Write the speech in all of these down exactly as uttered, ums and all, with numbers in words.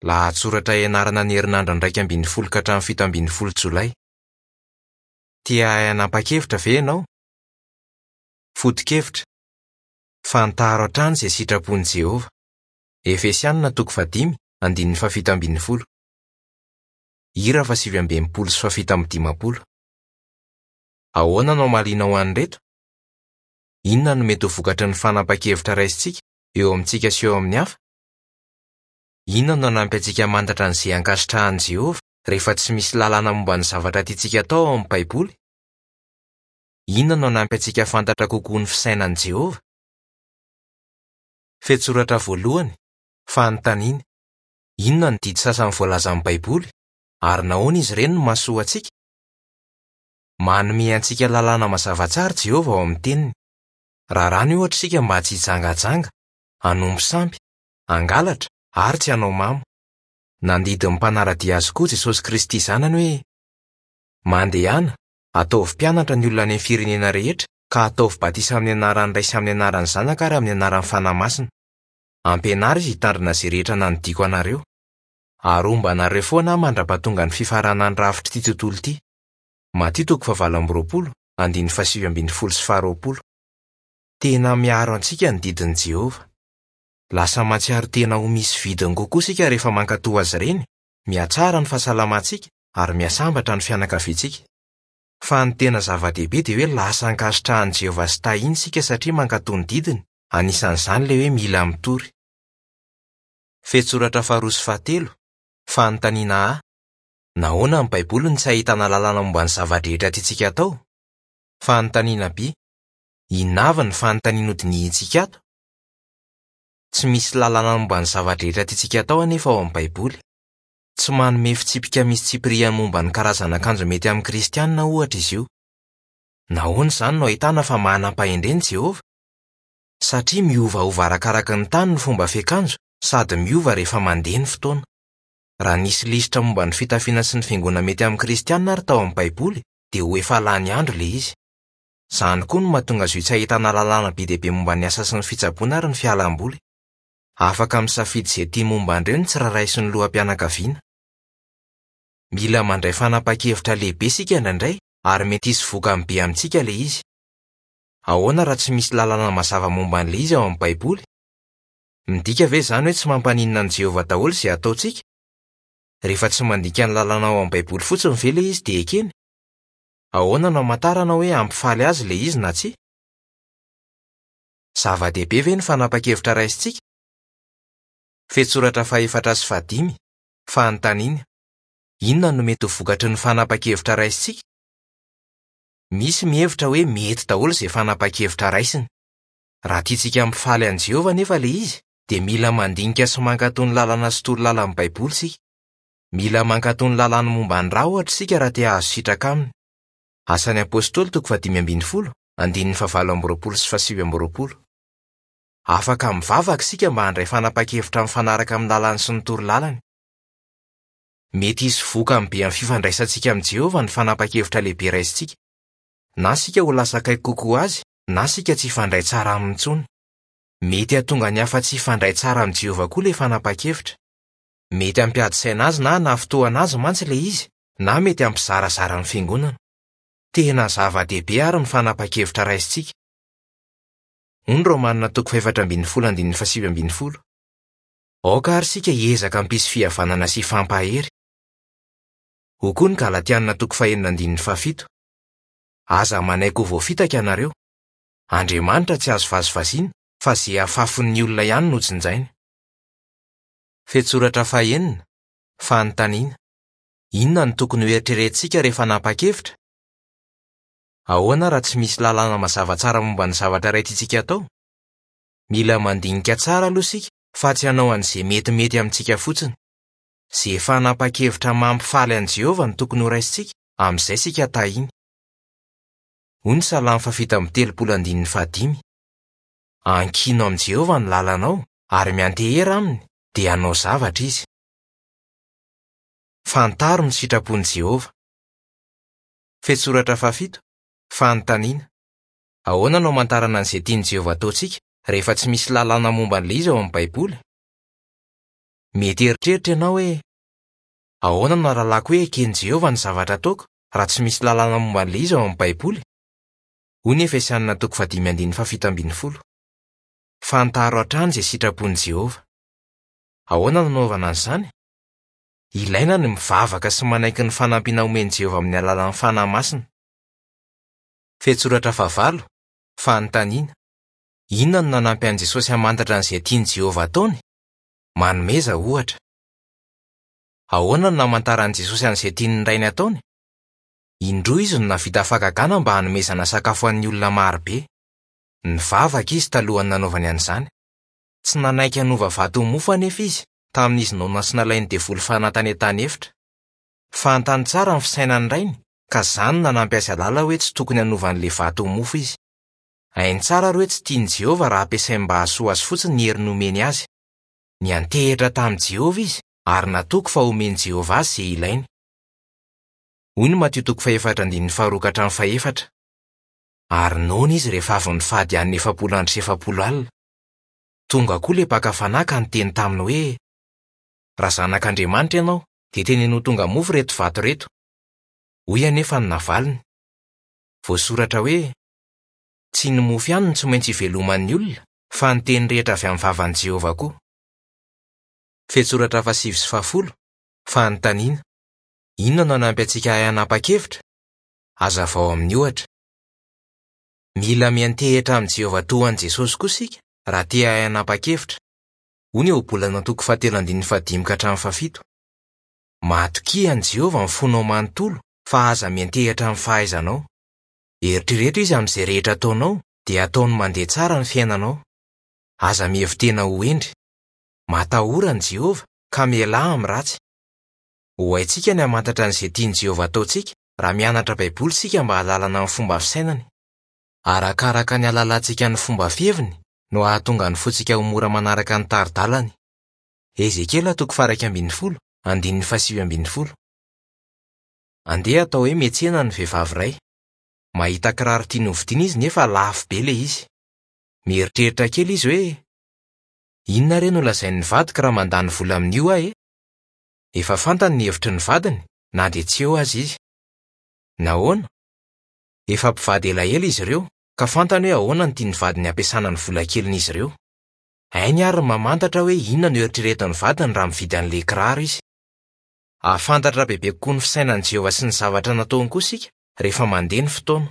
Lahatsoratra ianarana ny herinandro iraika ambin'ny folo ka hatramin'ny fito ambin'ny folo Jolay. Tia hahay hanapa-kevitra ve ianao? Foto-kevitra: Fantaro hatrany izay sitrapon'i Jehovah. Efesianina toko fahadimy, andininy fahafito ambin'ny folo. Hira fahasivy amby enimpolo sy fahafito amby dimampolo. Ahoana no hamalianao an'ireto? Inona no mety ho vokatry ny fanapahan-kevitra raisintsika eo amintsika sy eo amin'ny hafa? Inona no hanampy antsika hamantatra an'izay ankasitrahan'i Jehovah rehefa tsy misy lalàna momba ny zavatra tiantsika atao ao amin'ny Baiboly? Inona no hanampy antsika hahafantatra kokoa ny fisainan'i Jehovah? Fehintsoratra voalohany, fanontaniana. Inona no didy sasany voalazan'ny Baiboly, ary nahoana izy ireny no mahasoa antsika? Manome antsika lalàna mazava tsara Jehovah ao amin'ny Teniny. Raràny ohatra isika mba tsy hijangajanga, hanompo sampy, hangalatra ary tsy hanao mamo. Nandidy ny mpanara-dia azy koa Jesosy Kristy Zanany hoe: Mandehana, ataovy mpianatra ny olona any amin'ny firenena rehetra ka ataovy batisa amin'ny anaran'ny Ray sy amin'ny anaran'ny Zanaka ary amin'ny anaran'ny Fanahy Masina. Ampianaro izy hitandrina izay rehetra nandidiako anareo. Ary homba anareo foana aho mandra-pahatonga ny fifaranan'ny rafitr'ity tontolo ity. Matio toko fahavalo amby roapolo, andininy fahasivy ambin'ny folo sy faharoapolo. Tena miaro antsika ny didin'i Jehovah. Lasa mahatsiaro tena ho misy vidiny kokoa isika rehefa mankatò azy ireny, mihatsara ny fahasalamantsika ary mihasambatra ny fianakaviantsika. Fa ny tena zava-dehibe dia hoe lasa ankasitrahan'i Jehovah sy tahiny isika satria mankatò ny didiny, anisan'izany ilay hoe mila mitory. Fehintsoratra faharoa sy fahatelo, fanontaniana A. Nahoana ny Baiboly no tsy ahitana lalàna momba ny zava-drehetra tiantsika atao? Fanontaniana B. Inona avy ny fanontaniana hodinihintsika ato? Tsy misy lalàna momba ny zava-drehetra tiantsika atao anefa ao amin'ny Baiboly. Tsy manome fitsipika misy tsipiriany momba ny karazana akanjo mety amin'ny kristianina ohatra izy io. Nahoana izany no ahitana fa manam-pahendrena Jehovah? Satria miovaova arakaraka ny tany ny fomba fiakanjo sady miova rehefa mandeha ny fotoana. Raha nisy lisitra momba ny fitafiana sy ny fihaingoana mety amin'ny kristianina ary tao amin'ny Baiboly, dia ho efa lany andro ilay izy. Izany koa no mahatonga azy io tsy ahitana lalàna be dia be momba ny asa sy ny fitsaboana ary ny fialamboly. Afaka misafidy izay tia momba an'ireo ny tsirairay sy ny loham-pianakaviana. Mila mandray fanapahan-kevitra lehibe isika indraindray ary mety hisy vokany be amintsika ilay izy. Ahoana raha tsy misy lalàna mazava momba an'ilay izy ao amin'ny Baiboly? Midika ve izany hoe tsy mampaninona an'i Jehovah daholo izay ataontsika? Rehefa tsy mandika ny lalàna ao amin'ny Baiboly fotsiny ve ilay izy dia ekeny? Ahoana no hamantarana hoe hampifaly azy ilay izy na tsia? Zava-dehibe ve ny fanapahan-kevitra raisintsika? Fehintsoratra fahefatra sy fahadimy, fanontaniana. Inona no mety ho vokatry ny fanapahan-kevitra raisintsika? Misy mihevitra hoe mety daholo izay fanapahan-kevitra raisiny. Raha tiantsika hampifaly an'i Jehovah anefa ilay izy, dia mila mandinika sy mankatò ny lalàna sy toro lalan'ny Baiboly isika. Mila mankatò ny lalàna momba ny ra ohatra isika raha te hahazo sitraka aminy. Asan'ny Apostoly toko fahadimy ambin'ny folo, andininy fahavalo amby roapolo sy fahasivy amby roapolo. Afaka mivavaka isika mba handray fanapahan-kevitra mifanaraka amin'ny lalàny sy ny toro lalany. Mety hisy vokany be amin'ny fifandraisantsika amin'i Jehovah ny fanapahan-kevitra lehibe raisintsika. Na isika ho lasa akaiky kokoa azy, na isika tsy hifandray tsara aminy intsony. Mety hahatonga ny hafa tsy hifandray tsara amin'i Jehovah koa ilay fanapahan-kevitra. Mety hampiady saina azy na hanafintohina azy mantsy ilay izy, na mety hampizarazara ny fiangonana. Tena zava-dehibe ary ny fanapahan-kevitra raisintsika. Hoy ny Romanina toko fahefatra ambin'ny folo andininy fahasivy ambin'ny folo. Aoka ary isika hiezaka hampisy fihavanana sy hifampahery. Hoy koa ny Galatianina toko fahenina andininy fahafito. Aza manaiky ho voafitaka ianareo. Andriamanitra tsy azo vazivaziana fa izay afafon'ny olona ihany no jinjainy. Fehintsoratra fahenina, fanontaniana. Inona no tokony hoeritreretintsika rehefa hanapa-kevitra? Ahoana raha tsy misy lalàna mazava tsara momba ny zavatra iray tiantsika atao? Mila mandinika tsara aloha isika fa tsy hanao an'izay metimety amintsika fotsiny. Izay fanapahan-kevitra mampifaly an'i Jehovah no tokony horaisintsika, amin'izay isika tahiny. Hoy ny Salamo fahafito amby telopolo andininy fahadimy. Ankino amin'i Jehovah ny lalanao ary miantehera aminy, dia hanao zavatra izy. Fantaro ny sitrapon'i Jehovah. Fehintsoratra fahafito, fanontaniana. Ahoana no hamantarana an'izay tian'i Jehovah ataontsika rehefa tsy misy lalàna momba an'ilay izy ao amin'ny Baiboly? Mety hieritreritra ianao hoe: "Ahoana no ahalalako hoe eken'i Jehovah ny zavatra ataoko raha tsy misy lalàna momba an'ilay izy ao amin'ny Baiboly?" Hoy ny Efesianina toko fahadimy andininy fahafito ambin'ny folo. Fantaro hatrany izay sitrapon'i Jehovah. Ahoana no anaovana an'izany? Ilaina ny mivavaka sy manaiky ny fanampiana omen'i Jehovah amin'ny alalan'ny Fanahy Masina. Fehintsoratra fahavalo, fanontaniana. Inona no nanampy an'i Jesosy hamantatra an'izay tian'i Jehovah ataony? Manomeza ohatra. Ahoana no namantaran'i Jesosy an'izay tian'ny Rainy ataony? Indroa izy no nahavita fahagagana mba hanomezana sakafo an'ny olona marobe. Nivavaka izy talohan'ny nanaovany an'izany. Tsy nanaiky hanova vato ho mofo anefa izy tamin'izy noana sy nalain'ny devoly fanahy tany an-tany efitra. Fantany tsara ny fisainan'ny Rainy ka izany no nanampy azy hahalala hoe tsy tokony hanova an'ilay vato ho mofo izy. Hainy tsara ary hoe tsy tian'i Jehovah raha ampiasainy mba hahasoa azy fotsiny ny hery nomeny azy. Niantehitra tamin'i Jehovah izy ary natoky fa homen'i Jehovah azy izay ilainy. Hoy ny Matio toko fahefatra andininy faharoa ka hatramin'ny fahefatra. Ary noana izy rehefa avy nifady hanina efapolo andro sy efapolo alina. Tonga koa ilay mpaka fanahy ka niteny taminy hoe: "Raha zanak'Andriamanitra ianao, dia teneno ho tonga mofo ireto vato ireto." Hoy anefa ny navaliny. Voasoratra hoe: "Tsy ny mofo ihany no tsy maintsy iveloman'ny olona, fa ny teny rehetra avy amin'ny vavan'i Jehovah koa." Fehintsoratra fahasivy sy fahafolo, fanontaniana. Inona no hanampy antsika hahay hanapa-kevitra? Hazavao amin'ny ohatra. Mila miantehitra amin'i Jehovah toa an'i Jesosy koa isika raha te hahay hanapa-kevitra. Hoy ny Ohabolana toko fahatelo andininy fahadimy ka hatramin'ny fahafito. Matokia an'i Jehovah ny fonao manontolo fa aza miantehitra amin'ny fahaizanao. Eritrereto izy amin'izay rehetra ataonao dia ataony mandeha tsara ny fiainanao. Aza mihevi-tena ho hendry. Matahora an'i Jehovah ka mialà amin'ny ratsy. Ho haintsika ny hamantatra an'izay tian'i Jehovah ataontsika raha mianatra Baiboly isika mba hahalalana ny fomba fisainany. Arakaraka ny hahalalantsika ny fomba fiheviny no hahatonga ny fontsika ho mora manaraka ny tari-dalany. Ezekiela toko faha-iraika ambin'ny folo, andininy fahasivy ambin'ny folo. Andeha atao hoe miantsena ny vehivavy iray. Mahita kiraro tiany hovidiana izy nefa lafo be ilay izy. Mieritreritra kely izy hoe: "Inona re no lazain'ny vadiko raha mandany vola amin'io aho e?" Efa fantany ny hevitry ny vadiny na dia tsy eo aza izy. Nahoana? Efa mpivady elaela izy ireo ka fantany hoe ahoana no tian'ny vadiny hampiasana ny vola kelin'izy ireo. Hainy ary ny mamantatra hoe inona no eritreretin'ny vadiny raha mividy an'ilay kiraro izy. Hahafantatra bebe kokoa ny fisainan'i Jehovah sy ny zavatra nataony koa isika rehefa mandeha ny fotoana.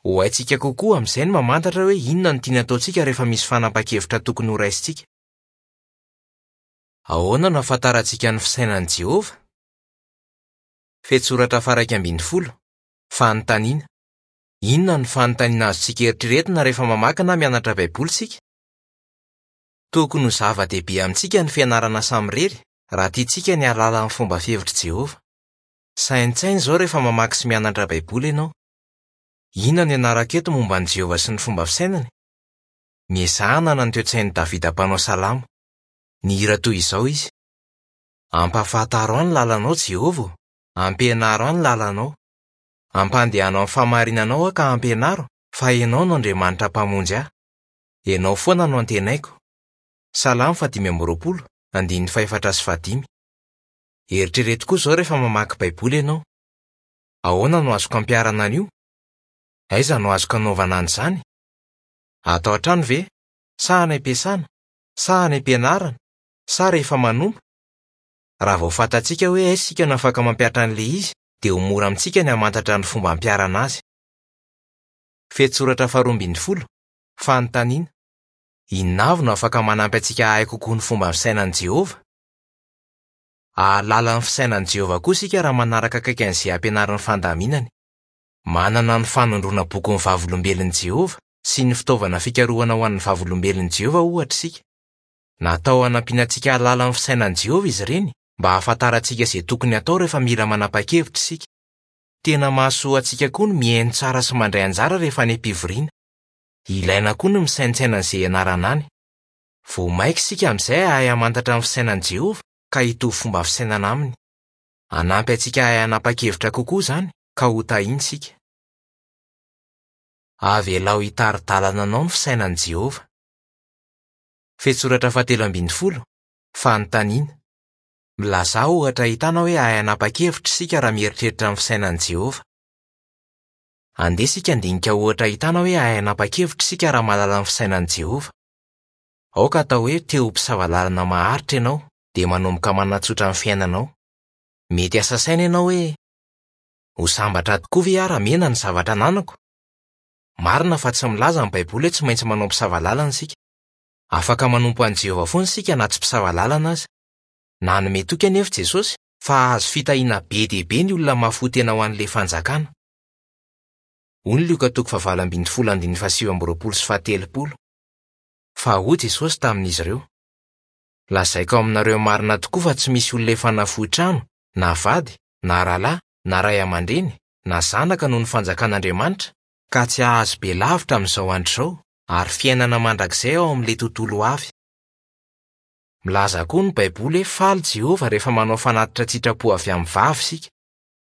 Ho haintsika kokoa amin'izay ny mamantatra hoe inona no tiany ataontsika rehefa misy fanapahan-kevitra tokony horaisintsika. Ahoana no ahafantarantsika ny fisainan'i Jehovah? Fehintsoratra faha-iraika ambin'ny folo, fanontaniana. Inona no fanontaniana azontsika eritreretina rehefa mamaky na mianatra Baiboly isika? Tokony ho zava-dehibe amintsika ny fianarana samirery raha tiantsika ny hahalala ny fomba fihevitr'i Jehovah. Saintsaina izao rehefa mamaky sy mianatra Baiboly ianao. Inona no ianarako eto momba an'i Jehovah sy ny fomba fisainany? Miezaha hanana ny toe-tsain'i Davida mpanao salamo. Nihira toy izao izy: "Ampahafantaro ahy ny lalanao, Jehovah ô, ampianaro ahy ny lalanao. Ampandehanao amin'ny fahamarinanao aho ka ampianaro, fa Ianao no Andriamanitra Mpamonjy ahy. Ianao foana no antenaiko." Salamo fahadimy amby roapolo, andininy fahefatra sy fahadimy. Eritrereto koa izao rehefa mamaky Baiboly ianao. Ahoana no azoko ampiharana an'io? Aiza no azoko anaovana an'izany? Atao an-trano ve? Sa any am-piasana? Sa any am-pianarana? Sa rehefa manompo? Raha vao fantatsika hoe aiza isika no afaka mampihatra an'ilay izy, dia ho mora amintsika ny hamantatra ny fomba ampiharana azy. Fehintsoratra faharoa ambin'ny folo, fanontaniana. Inona avy no afaka manampy antsika hahay kokoa ny fomba fisainan'i Jehovah? Hahalala ny fisainan'i Jehovah koa isika raha manaraka akaiky an'izay ampianarin'ny fandaminany. Manana ny fanondroana bokin'ny Vavolombelon'i Jehovah sy ny fitaovana fikarohana ho an'ny Vavolombelon'i Jehovah ohatra isika. Natao hanampiana antsika hahalala ny fisainan'i Jehovah izy ireny mba hahafantarantsika izay tokony hatao rehefa mila manapa-kevitra isika. Tena mahasoa antsika koa ny mihaino tsara sy mandray anjara rehefa any am-pivoriana. Ilaina koa ny misaintsaina an'izay ianarana any. Vao maika isika amin'izay hahay hamantatra ny fisainan'i Jehovah ka hitovy fomba fisainana aminy. Hanampy antsika hahay hanapa-kevitra kokoa izany ka ho tahiana isika. Avelao hitari-dalana anao ny fisainan'i Jehovah. Fehintsoratra fahatelo ambin'ny folo, fanontaniana. Milazà ohatra ahitana hoe hahay hanapa-kevitra isika raha mieritreritra ny fisainan'i Jehovah. Andeha isika handinika ohatra ahitana hoe hahay hanapa-kevitra isika raha mahalala ny fisainan'i Jehovah. Aoka atao hoe te ho mpisava lalana maharitra ianao dia manomboka manatsotra ny fiainanao. Mety asa saina ianao hoe ho sambatra tokoa ve aho raha mihena ny zavatra ananako? Marina fa tsy milaza ny Baiboly hoe tsy maintsy manao mpisava lalana isika. Afaka manompo an'i Jehovah foana isika na tsy mpisava lalana aza. Nanome toky anefa Jesosy fa hahazo fitahiana be dia be ny olona mahafoy tena ho an'ilay fanjakana. Hoy ny Lioka toko fahavalo ambin'ny folo andininy fahasivy amby roapolo sy fahatelopolo. Fa hoy Jesosy tamin'izy ireo: Lazaiko aminareo marina tokoa fa tsy misy olona efa nafoy trano, na vady, na rahalahy, na ray aman-dreny, na zanaka noho ny fanjakan'Andriamanitra, ka tsy hahazo be lavitra amin'izao andro izao, ary fiainana mandrakizay ao amin'ilay tontolo ho avy. Milaza koa ny Baiboly hoe faly Jehovah rehefa manao fanatitra an-tsitrapo avy amin'ny vava isika.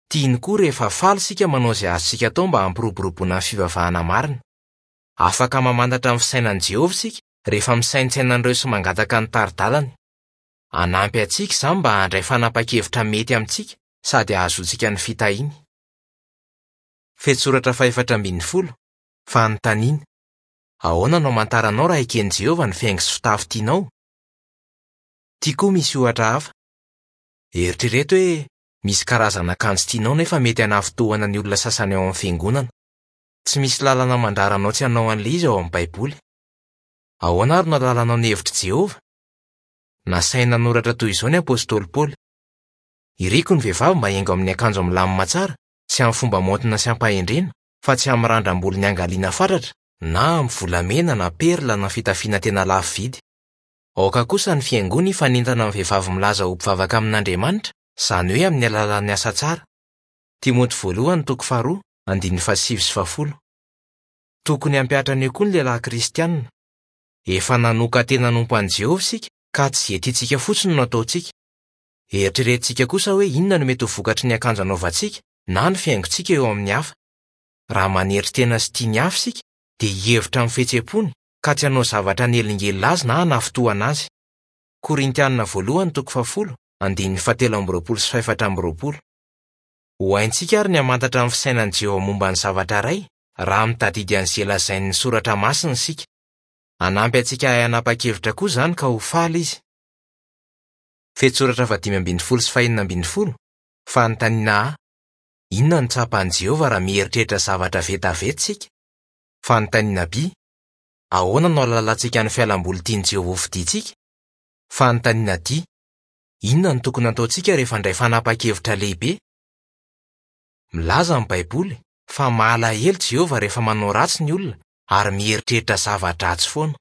Tiany koa rehefa faly isika manao izay azontsika atao mba hampiroboroboana ny fivavahana marina. Afaka mamantatra ny fisainan'i Jehovah isika rehefa misaintsaina an'ireo sy mangataka ny tari-dalany. Hanampy antsika izany mba handray fanapahan-kevitra mety amintsika sady hahazoantsika ny fitahiany. Fehintsoratra fahefatra ambin'ny folo. Fanontaniana: Ahoana no hamantaranao raha eken'i Jehovah ny fihaingo sy fitafy tianao? Ity koa misy ohatra hafa. Eritrereto hoe misy karazana akanjo tianao nefa mety hanafintohina ny olona sasany ao amin'ny fiangonana. Tsy misy lalana mandrara anao tsy hanao an'ilay izy ao amin'ny Baiboly. Ahoana ary no ahalalanao ny hevitr'i Jehovah? Nasaina nanoratra toy izao ny apostoly Paoly: Iriko ny vehivavy mba hihaingo amin'ny akanjo milamina tsara sy amin'ny fomba maontina sy ampahendrena, fa tsy amin'ny randram-bolo niangaliana fatratra, na amin'ny volamena na perla na fitafiana tena lafo vidy. Aoka kosa ny fihaingoana hifanentana amin'ny vehivavy milaza ho mpivavaka amin'Andriamanitra, izany hoe amin'ny alalan'ny asa tsara. Timoty voalohany toko faharoa, andininy fahasivy sy fahafolo. Tokony hampihatra an'io koa ny lehilahy kristianina. Efa nanokan-tena hanompo an'i Jehovah isika ka tsy izay tiantsika fotsiny no ataontsika. Eritreretintsika kosa hoe inona no mety ho vokatry ny akanjo anaovantsika na ny fihaingontsika eo amin'ny hafa. Raha manery tena sy tia ny hafa isika, dia hihevitra amin'ny fihetseham-pony ka tsy hanao zavatra hanelingelina azy na hanafintohina azy. Korintianina voalohany toko fahafolo, andininy fahatelo amby roapolo sy fahefatra amby roapolo. Ho haintsika ary ny hamantatra ny fisainan'i Jehovah momba ny zavatra iray raha mitadidy an'izay lazain'ny soratra masina isika. Hanampy antsika hahay hanapa-kevitra koa izany ka ho faly izy. Fehintsoratra fahadimy ambin'ny folo sy fahenina ambin'ny folo. Fanontaniana A: Inona no tsapan'i Jehovah raha mieritreritra zavatra vetaveta isika? Fanontaniana B: Ahoana no ahalalantsika ny fialamboly tian'i Jehovah hofidintsika? Fanontaniana D: Inona no tokony hataontsika rehefa handray fanapahan-kevitra lehibe? Milaza ny Baiboly fa malahelo Jehovah rehefa manao ratsy ny olona ary mieritreritra zava-dratsy foana.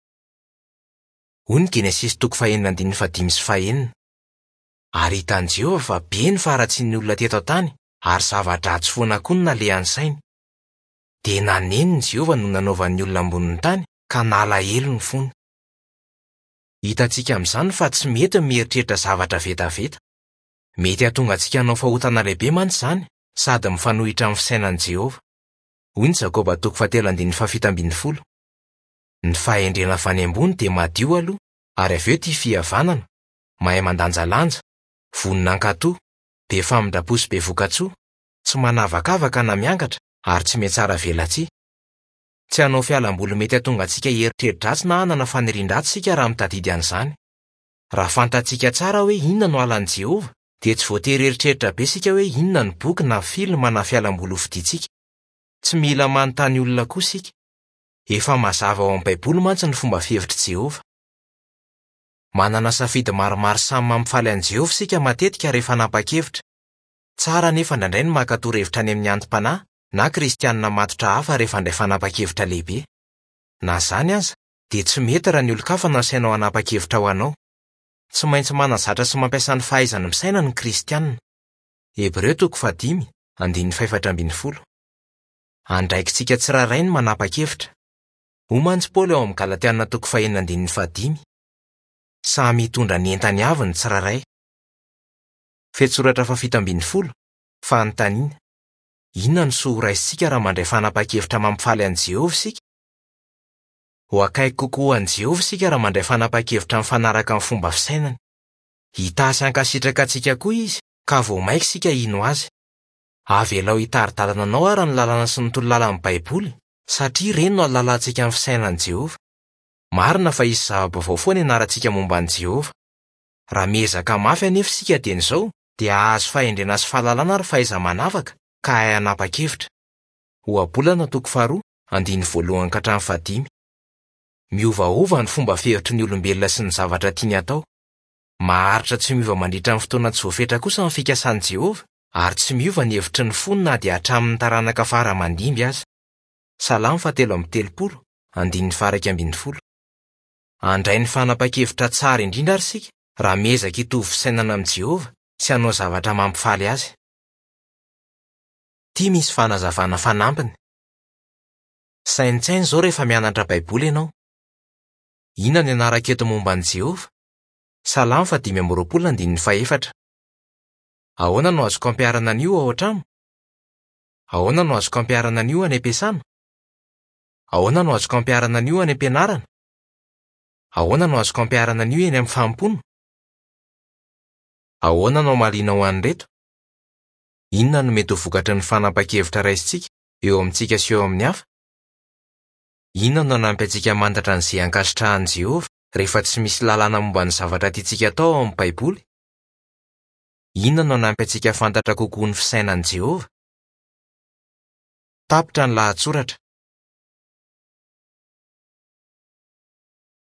Hoy ny Genesisy toko fahenina andininy fahadimy sy fahenina. Ary hitan'i Jehovah fa be ny faharatsian'ny olona teto an-tany ary zava-dratsy foana koa no nalehan'ny sainy. Dia nanenina Jehovah no nanaovan'ny olona ambonin'ny tany ka nalahelo ny fony. Hitantsika amin'izany fa tsy mety ny mieritreritra zavatra vetaveta. Mety hahatonga antsika hanao fahotana lehibe mantsy izany sady mifanohitra amin'ny fisainan'i Jehovah. Hoy ny Jakoba toko fahatelo andininy fahafito ambin'ny folo. Ny fahendrena avy any ambony dia madio aloha, ary avy eo tia fihavanana, mahay mandanjalanja, vonona hankatò, be famindram-po sy be vokatsoa, tsy manavakavaka na miangatra ary tsy mihatsara velatsihy. Tsy hanao fialamboly mety hahatonga antsika hieritreri-dratsy na hanana fanirian-dratsy isika raha mitadidy an'izany. Raha fantatsika tsara hoe inona no halan'i Jehovah, dia tsy voatery hieritreritra be isika hoe inona ny boky na filma na fialamboly hofidintsika. Tsy mila manontany olona koa isika. Efa mazava ao amin'ny Baiboly mantsy ny fomba fihevitr'i Jehovah. Manana safidy maromaro samy mampifaly an'i Jehovah isika matetika rehefa hanapa-kevitra. Tsara anefa indraindray ny maka torohevitra any amin'ny anti-panahy na kristianina matotra hafa rehefa handray fanapahan-kevitra lehibe. Na izany aza, dia tsy mety raha ny olon-kafa no asainao hanapa-kevitra ho anao. Tsy maintsy manazatra sy mampiasa ny fahaizany misaina ny kristianina. Hebreo toko fahadimy, andininy fahefatra ambin'ny folo. Andraikitsika tsirairay ny manapa-kevitra. Hoy mantsy Paoly ao amin'ny Galatiana toko fahenina andininy fahadimy. Samy hitondra ny entany avy ny tsirairay. Fehintsoratra fahafito ambin'ny folo. Fanontaniana: Inona no soa ho raisintsika raha mandray fanapahan-kevitra mampifaly an'i Jehovah isika? Ho akaiky kokoa an'i Jehovah isika raha mandray fanapahan-kevitra mifanaraka amin'ny fomba fisainany. Hitahy sy hankasitraka antsika koa izy, ka vao mainka isika hino azy. Avelao hitari-dalana anao àry ny lalàna sy ny torolalan'ny Baiboly, satria ireny no ahalalantsika ny fisainan'i Jehovah. Marina fa hisy zava-baovao foana ianarantsika momba an'i Jehovah. Raha miezaka mafy anefa isika dieny izao, dia hahazo fahendrena sy fahalalana ary fahaiza-manavaka, ka hahay hanapa-kevitra. Ohabolana toko faharoa, andininy voalohany ka hatramin'ny fahadimy. Miovaova ny fomba fihevitry ny olombelona sy ny zavatra tiany hatao. Maharitra tsy miova mandritra ny fotoana tsy voafetra kosa ny fikasan'i Jehovah, ary tsy miova ny hevitry ny fony na dia hatramin'ny taranaka fara aman-dimby aza. Salamo fahatelo amby telopolo, andininy faha-iraika ambin'ny folo. Handray ny fanapahan-kevitra tsara indrindra àry isika raha miezaka hitovy fisainana amin'i Jehovah sy hanao zavatra mampifaly azy. Ity misy fanazavana fanampiny. Saintsaino izao rehefa mianatra Baiboly ianao. Inona no ianarako eto momba an'i Jehovah? Salamo fahadimy amby roapolo andininy fahefatra. Ahoana no azoko ampiharana an'io ao an-trano? Ahoana no azoko ampiharana an'io any am-piasana? Ahoana no azoko ampiharana an'io any am-pianarana? Ahoana no azoko ampiharana an'io eny amin'ny fanompoana? Ahoana no hamalianao an'ireto? Inona no mety ho vokatry ny fanapahan-kevitra raisintsika eo amintsika sy eo amin'ny hafa? Inona no hanampy antsika hamantatra an'izay ankasitrahan'i Jehovah rehefa tsy misy lalàna momba ny zavatra tiantsika atao ao amin'ny Baiboly? Inona no hanampy antsika hahafantatra kokoa ny fisainan'i Jehovah? Tapitra ny lahatsoratra.